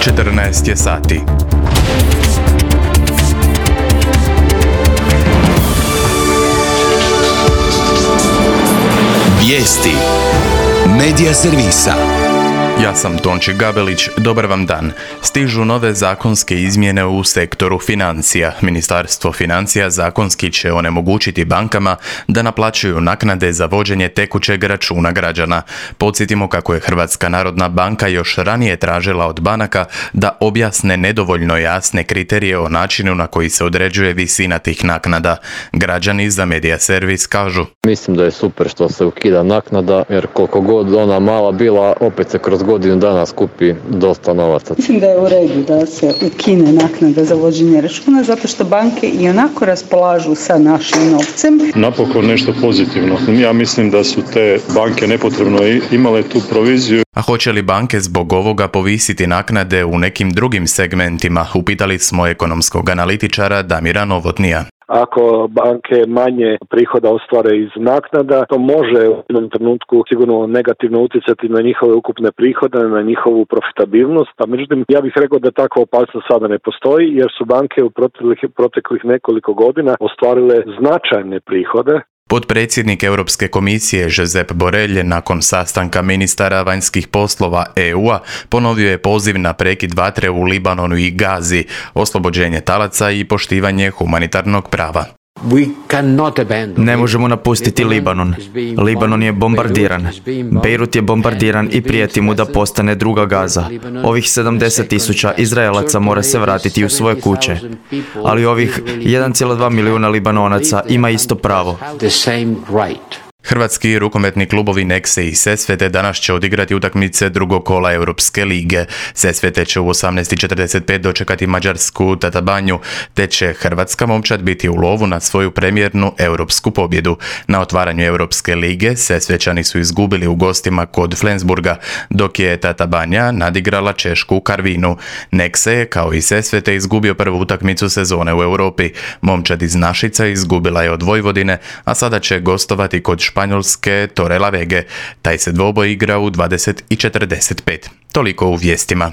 14 je sati. Vijesti Medija servisa. Ja sam Tonči Gabelić, dobar vam dan. Stižu nove zakonske izmjene u sektoru financija. Ministarstvo financija zakonski će onemogućiti bankama da naplaćuju naknade za vođenje tekućeg računa građana. Podsjetimo kako je Hrvatska narodna banka još ranije tražila od banaka da objasne nedovoljno jasne kriterije o načinu na koji se određuje visina tih naknada. Građani za Medija servis kažu: Mislim da je super što se ukida naknada, jer koliko god ona mala bila, opet se kroz godinu dana skupi dosta novaca. Mislim da je u redu da se ukine naknada za vođenje računa, zato što banke i onako raspolažu sa našim novcem. Napokon nešto pozitivno. Ja mislim da su te banke nepotrebno imale tu proviziju. A hoće li banke zbog ovoga povisiti naknade u nekim drugim segmentima? Upitali smo ekonomskog analitičara Damira Novotnija. Ako banke manje prihoda ostvare iz naknada, to može u jednom trenutku sigurno negativno utjecati na njihove ukupne prihode, na njihovu profitabilnost. A međutim, ja bih rekao da takva opasnost sada ne postoji, jer su banke u proteklih nekoliko godina ostvarile značajne prihode. Potpredsjednik Europske komisije Josep Borrell nakon sastanka ministara vanjskih poslova EU-a ponovio je poziv na prekid vatre u Libanonu i Gazi, oslobođenje talaca i poštivanje humanitarnog prava. Ne možemo napustiti Libanon. Libanon je bombardiran. Beirut je bombardiran i prijeti mu da postane druga Gaza. Ovih 70,000 Izraelaca mora se vratiti u svoje kuće. Ali ovih 1,2 milijuna Libanonaca ima isto pravo. Hrvatski rukometni klubovi Nexe i Sesvete danas će odigrati utakmice drugog kola Europske lige. Sesvete će u 18:45 dočekati mađarsku Tatabanju, te će hrvatska momčad biti u lovu na svoju premijernu europsku pobjedu. Na otvaranju Europske lige Sesvećani su izgubili u gostima kod Flensburga, dok je Tatabanja nadigrala Češku u Karvinu. Nexe je kao i Sesvete izgubio prvu utakmicu sezone u Europi. Momčad iz Našica izgubila je od Vojvodine, a sada će gostovati kod Španjolske Torrelavege. Taj se dvoboj igra u 20:45. Toliko u vijestima.